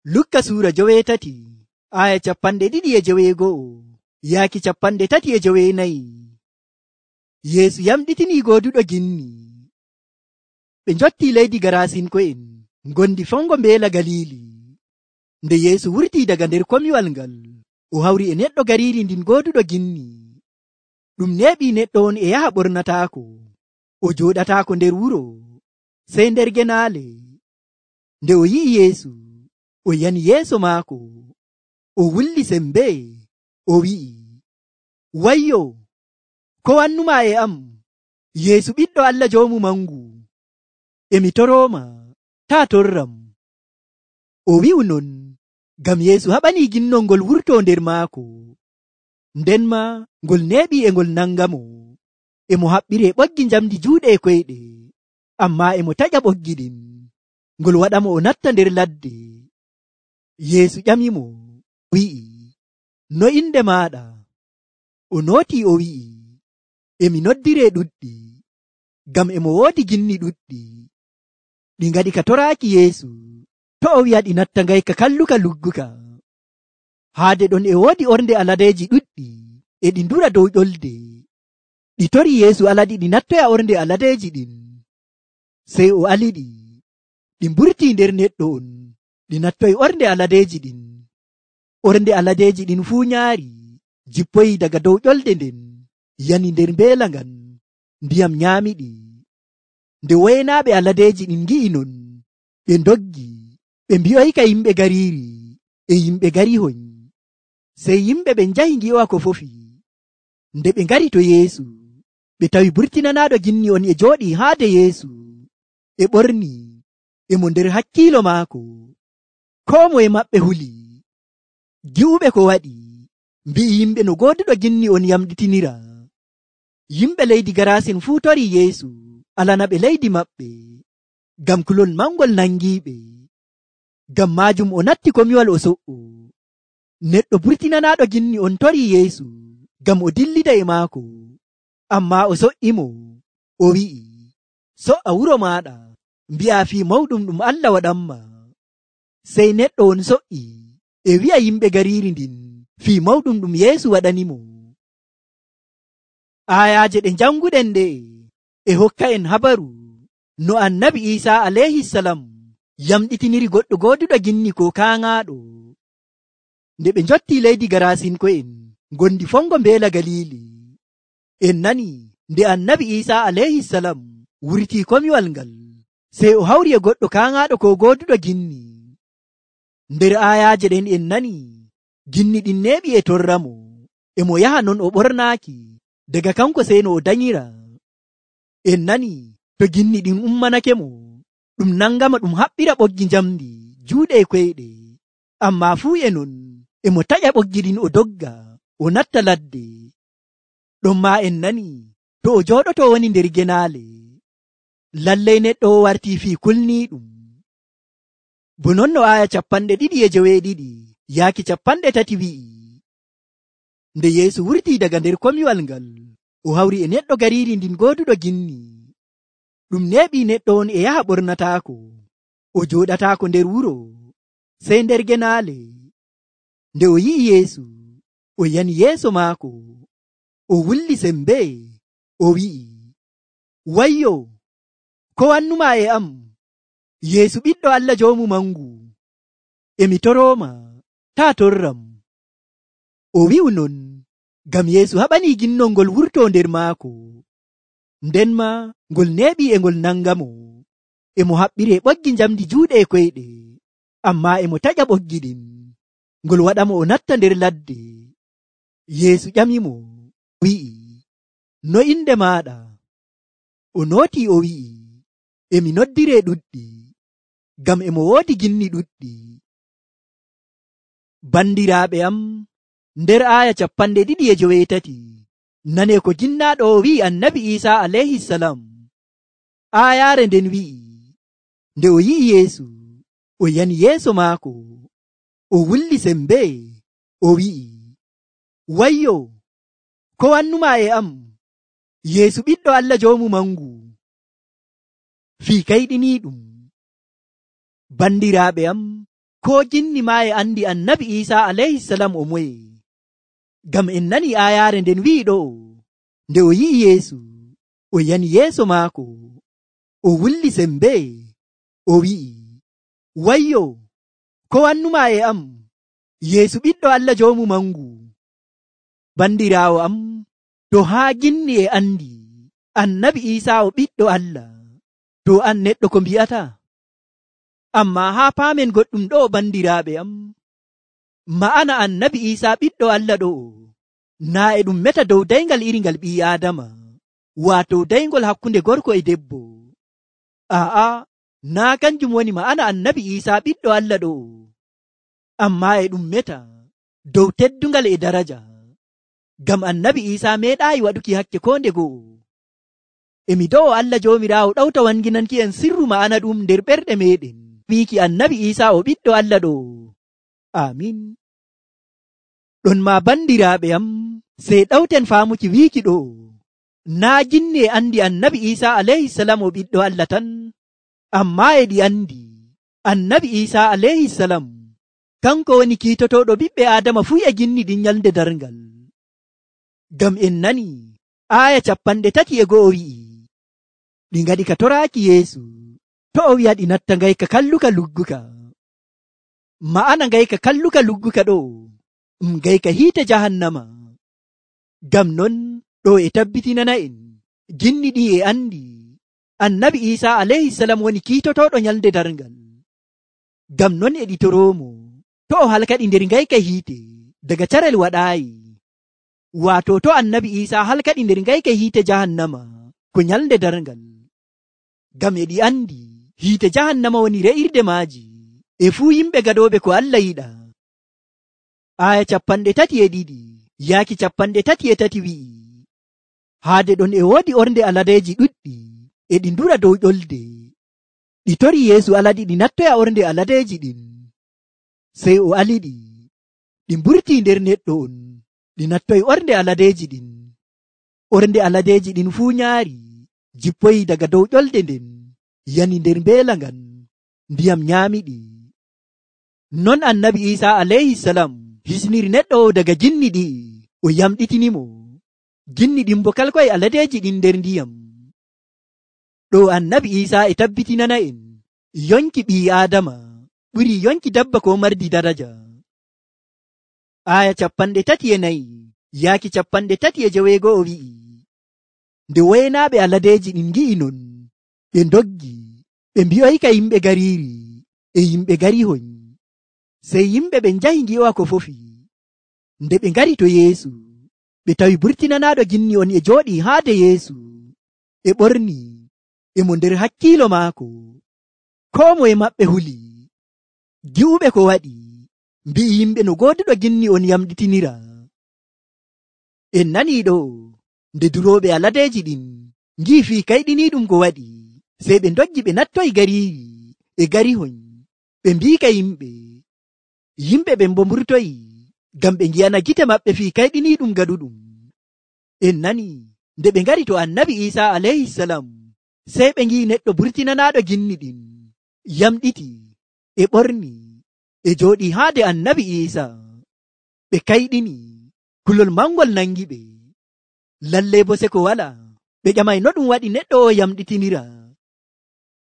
Lukka suura 13 aya 214 yaaki 314. Yeesu yamɗitinii gooduɗo ginni. Ɓe njotti leydi Garasinko'en ngondi fongo mbeela Galili. Nde Yeesu wurtii daga nder komiwal ngal, o hawri e neɗɗo gariiri ndin gooduɗo ginni. Ɗum neeɓi neɗɗo on e yaha ɓornataako, o jooɗataako nder wuro, sey nder genaale. Nde o yi'i Yeesu, o yani yeeso maako, o wulli sembe, o wi'i, wayyo, ko wannumaa e am, Yeesu ɓiɗɗo Allah Joomu Mangu? Emi torooma, taa torram. O wi'u non, ngam Yeesu haɓanii ginnol ngol wurtoo nder maako. Nden maa ngol neeɓii e ngol nangamo. Emo haɓɓiree ɓoggi njamdi juuɗe e koyɗe, ammaa emo taƴa ɓoggi ɗin. Ngol waɗamo o natta nder ladde. Yeesu ƴamimo, wi'i, no inde maaɗa? O nootii o wi'i, emi noddiree ɗuɗɗi, ngam emo woodi ginni ɗuɗɗi. Ɗi ngaɗi ka toraaki Yeesu, to o wi'a ɗi natta ngayka kalluka lugguka. Haade ɗon e woodi ornde aladeeji ɗuɗɗi, e ɗi ndura dow ƴolde. Ɗi tori Yeesu alaɗi ɗi nattoya ornde aladeeji ɗin. Sey o aliɗi, ɗi mburtii nder neɗɗo on, ɗi nattoyi ornde aladeeji ɗin. Ornde aladeeji ɗin fuu nyaari, jippoyi daga dow ƴolde nden, yani nder mbeela ngan, ndiyam nyaamiɗi. Nde woynaaɓe aladeeji ɗin ngi'i non, ɓe ndoggi, ɓe mbi'oyka yimɓe gariiri e yimɓe garihoy. Sey yimɓe ɓen njahi ngi'owa ko fofi. Nde ɓe ngari to Yeesu, ɓe tawi burtinanaaɗo ginni on e jooɗii haade Yeesu, e ɓorni, emo nder hakkiilo maako. Koo moye maɓɓe huli. Gi'uɓe ko waɗi, mbi'i yimɓe no gooduɗo ginni on yamɗitinira. Yimɓe leydi Garasin fuu tori Yeesu alana ɓe leydi maɓɓe, ngam kulol mangol nangiiɓe. Ngam maajum o natti komiwal o so'o. Neɗɗo burtinanaaɗo ginni on tori Yeesu ngam o dillida e maako, ammaa o so'imo, o wi'i, so'a wuro maaɗa, mbi'a fii mawɗum ɗum Allah waɗanma. Sey neɗɗo on so'i e wi'a yimɓe gariiri ndin fii mawɗum ɗum Yeesu waɗanimo. Ayaaje ɗe janguɗen ɗe e hokka en habaru no annabi Iisaa alayhisalam yamɗitiniri goɗɗo gooduɗo ginni ko kaaŋaaɗo. Nde ɓe njotti leydi Garasinko'en ngondi fongo mbeela Galili, en nani nde annabi Iisaa alayhisalam wurtii komiwal ngal, sey o hawri e goɗɗo kaaŋaaɗo ko gooduɗo ginni. Nder ayaaje ɗen en nani ginni ɗin neeɓi e torramo, emo yaha non o ɓornaaki, daga kanko sey no o danyira. En nani to ginni ɗin ummanakemo, ɗum nangama ɗum haɓɓira ɓoggi njamdi juuɗe e koyɗe, ammaa fuu e non emo taƴa ɓoggi ɗin o dogga, o natta ladde. Ɗon maa en nani to o jooɗoto woni nder genaale, lallay neɗɗo o wartii fii kulniiɗum. Bo non no aya 212 yaaki 30 wi'i, nde Yeesu wurtii daga nder komiwal ngal, o hawri e neɗɗo gariiri ndin gooduɗo ginni. Ɗum neeɓi neɗɗo on e yaha ɓornataako, o jooɗataako nder wuro, sey nder genaale. Nde o yi'i Yeesu, o yani yeeso maako, o wulli sembe, o wi'i, wayyo, ko wannumaa e am, Yeesu ɓiɗɗo Allah Joomu Mangu? Emi torooma, taa torram. O wi'u non, ngam Yeesu haɓanii ginnol ngol wurtoo nder maako. Nden maa ngol neeɓii e ngol nangamo, emo haɓɓiree ɓoggi njamdi juuɗe e koyɗe, ammaa emo taƴa ɓoggi ɗin. Ngol waɗamo o natta nder ladde. Yeesu ƴamimo, wi'i, no inde maaɗa? O nootii o wi'i, emi noddiree ɗuɗɗi, ngam emo woodi ginni ɗuɗɗi. Bandiraaɓe am, nder aya 213 nanee ko jinnaaɗo o wi'i annabi Iisaa alayhisalam. Aayaare nden wi'i, nde o yi'i Yeesu, o yani yeeso maako, o wulli sembe, o wi'i, wayyo, ko wannumaa e am, Yeesu ɓiɗɗo Allah Joomu Mangu? Fii kayɗiniiɗum. Bandiraaɓe am, koo ginni maa e andi annabi Iisaa alayhisalam o moye. Ngam en nani aayaare nden wi'iɗo nde o yi'i Yeesu, o yani yeeso maako, o wulli sembe, o wi'i, wayyo, ko wannumaa e am, Yeesu ɓiɗɗo Allah joomu mangu. Bandiraawo am, to haa ginni e andi annabi Iisaa o ɓiɗɗo Allah, to an neɗɗo ko mbi'ata? Ammaa haa paamen goɗɗum ɗo, bandiraaɓe am, ma'ana annabi Iisaa ɓiɗɗo Allah ɗo naa e ɗum meta dow dayngal iri ngal ɓii Aadama, waato dayngol hakkunde gorko e debbo. Aa'a, naa kanjum woni ma'ana annabi Iisaa ɓiɗɗo Allah ɗo, ammaa e ɗum meta dow teddungal e daraja. Ngam annabi Iisaa meeɗaayi waɗuki hakke ko nde go'o. Emi do'o Allah Joomiraawo ɗawta wanginanki en sirru ma'ana ɗum nder ɓerɗe meeɗen, wiiki annabi Iisaa o ɓiɗɗo Allah ɗo. Amin. Ɗon ma bandiraaɓe am, sey ɗawten faamuki wiiki ɗo, naa ginni e andi annabi Iisaa alayhisalam o ɓiɗɗo Allah tan, ammaa e ɗi andi annabi Iisaa alayhisalam kanko woni kiitotoɗo ɓiɓɓe Aadama fuu e ginni ɗin nyalnde darngal. Ngam en nani aaya 31 wi'i, ɗi ngaɗi ka toraaki Yeesu, to o wi'a ɗi natta ngayka kalluka lugguka. Ma'ana ngayka kalluka lugguka ɗo ngayka hiite jahannama. Ngam non ɗo e tabbitinana en ginni ɗi e andi annabi Iisaa alayhisalam woni kiitotoɗo nyalnde darngal. Ngam non e ɗi toroomo to o halkaɗi nder ngayka hiite daga carel waɗaayi, waato to annabi Iisaa halkaɗi nder ngayka hiite jahannama ko nyalnde darngal. Ngam e ɗi andi hiite jahannama woni re'irde maaji e fuu yimɓe gaɗooɓe ko Allah yiɗa. Aaya 32 yaaki 33 wi'i, haade ɗon e woodi ornde aladeeji ɗuɗɗi e ɗi ndura dow ƴolde. Ɗi tori Yeesu aladi ɗi nattoya ornde aladeeji ɗin. Sey o aliɗi, ɗi mburtii nder neɗɗo on, ɗi nattoyi ornde aladeeji ɗin. Ornde aladeeji ɗin fuu nyaari, jippoyi daga dow ƴolde nden, yani nder mbeela ngan, ndiyam nyaamiɗi. Non annabi Iisaa alayhisalam hisniri neɗɗo o daga ginni ɗi, o yamɗitinimo. Ginni ɗin bo kalkoye aladeeji ɗin nder ndiyam. Ɗo annabi Iisaa e tabbitinana en yonki ɓii Aadama ɓuri yonki dabba ko mardi daraja. Aaya 34 yaaki 35 wi'i, nde waynaaɓe aladeeji ɗin ngi'i non, ɓe ndoggi, ɓe mbi'oyka yimɓe gariiri e yimɓe garihoy. Sey yimɓe ɓe njahi ngi'owa ko fofi. Nde ɓe ngari to Yeesu, ɓe tawi burtinanaaɗo ginni on e jooɗii haade Yeesu, e ɓorni e mo nder hakkiilo maako. Koo moye maɓɓe huli, gi'uɓe ko waɗi, mbi'i yimɓe no gooduɗo ginni on yamɗitinira. En nanii ɗo, nde durooɓe aladeeji ɗin ngi'i fii kayɗiniiɗum ko waɗi, sey ɓe ndoggi ɓe nattoyi gariiri e garihoy, ɓe mbiika yimɓe ɓen bo mburtoyi, ngam ɓe ngi'ana gite maɓɓe fii kayɗiniiɗum gaɗuɗum. En nani nde ɓe ngari to annabi Iisaa alayhisalam, sey ɓe ngi'i neɗɗo burtinanaaɗo ginni ɗin yamɗiti e ɓorni e jooɗii haade annabi Iisaa. Ɓe kayɗini, kulol mangol nangi ɓe, lalle bo seko wala. Ɓe ƴamay no ɗum waɗi neɗɗo o yamɗitinira.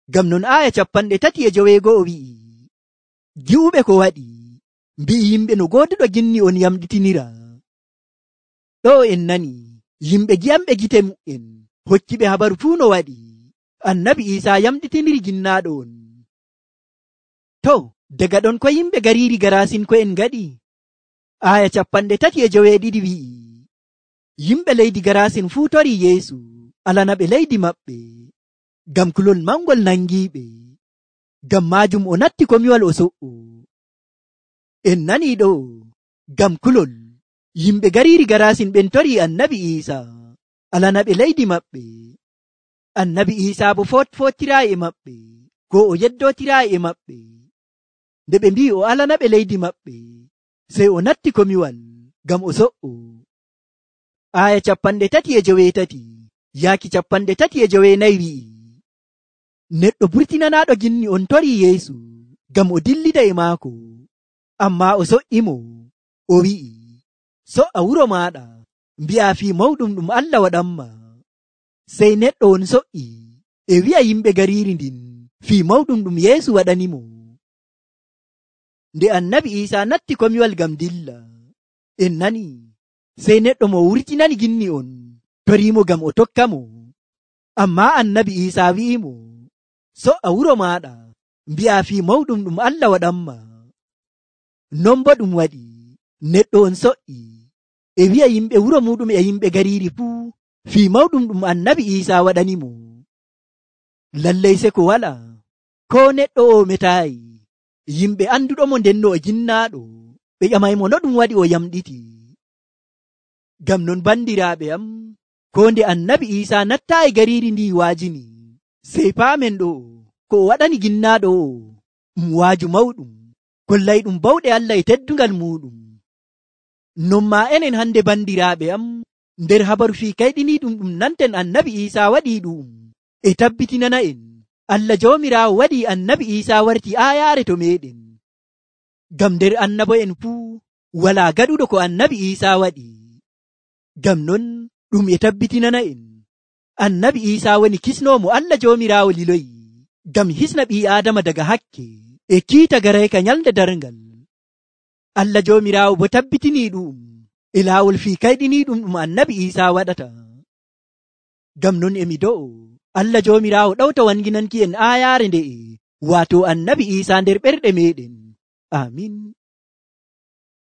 Ngam non aaya 35 wi'i, gi'uɓe ko waɗi, mbi'i yimɓe no gooduɗo ginni on yamɗitinira. Ɗo en nani yimɓe gi'amɓe gite mu'en hokkiɓe habaru fuu no waɗi annabi Iisaa yamɗitiniri ginnaaɗo on. To, daga ɗon ko yimɓe gariiri Garasin ko en ngaɗi? Aaya 32 wi'i, yimɓe leydi Garasin fuu tori Yeesu alana ɓe leydi maɓɓe, ngam kulol mangol nangiiɓe. Ngam maajum o natti komiwal o so'o. En nanii ɗo, ngam kulol yimɓe gariiri Garasin ɓen tori annabi Iisaa alana ɓe leydi maɓɓe. Annabi Iisaa bo fotiraayi e maɓɓe, ko o yeddootiraayi e maɓɓe. Nde ɓe mbi'i o alana ɓe leydi maɓɓe, sey o natti komiwal ngam o so'o. Aaya 38 yaaki 39 wi'i, neɗɗo burtinanaaɗo ginni on tori Yeesu ngam o dillida e maako. Ammaa o so'imo, o wi'i, so'a wuro maaɗa, mbi'a fii mawɗum ɗum Allah waɗanma. Sey neɗɗo on so'i e wi'a yimɓe gariiri ndin fii mawɗum ɗum Yeesu waɗanimo. Nde Annabi Iisaa natti komiwal ngam dilla, en nani, sey neɗɗo mo wurtinani ginni on toriimo ngam o tokka mo. Ammaa Annabi Iisaa wi'imo, so'a wuro maaɗa, mbi'a fii mawɗum ɗum Allah waɗanma. Non bo ɗum waɗi, neɗɗo on so'i e wi'a yimɓe wuro muɗum e yimɓe gariiri fuu fii mawɗum ɗum Annabi Iisaa waɗanimo. Lallay seko wala, ko neɗɗo o metaayi. Yimɓe anduɗomo ndenno o jinnaaɗo, ɓe ƴamaymo no ɗum waɗi o yamɗiti. Ngam non bandiraaɓe am, ko nde Annabi Iisaa nattaayi gariiri ndi waajini, sey paamen ɗo ko o waɗani ginnaaɗo o waaju mawɗum, kollay ɗum bawɗe Allah e teddungal muɗum. Non maa enen hande bandiraaɓe am, nder habaru fii kayɗiniiɗum ɗum nanten Annabi Iisaa waɗii ɗum e tabbitinana en Allah Joomiraawo waɗii Annabi Iisaa warti aayaare to meeɗen. Ngam nder annabo'en fuu walaa gaɗuɗo ko Annabi Iisaa waɗi. Ngam non ɗum e tabbitinana en Annabi Iisaa woni kisnoomo Allah Joomiraawo liloyi ngam hisna ɓii Aadama daga hakke e kiita garayka nyalnde darngal. Allah Joomiraawo bo tabbitinii ɗum e laawol fii kayɗiniiɗum ɗum Annabi Iisaa waɗata. Ngam non emi do'o Allah Joomiraawo ɗawta wanginanki en aayaare nde'e, waato Annabi Iisaa nder ɓerɗe meeɗen. Amin.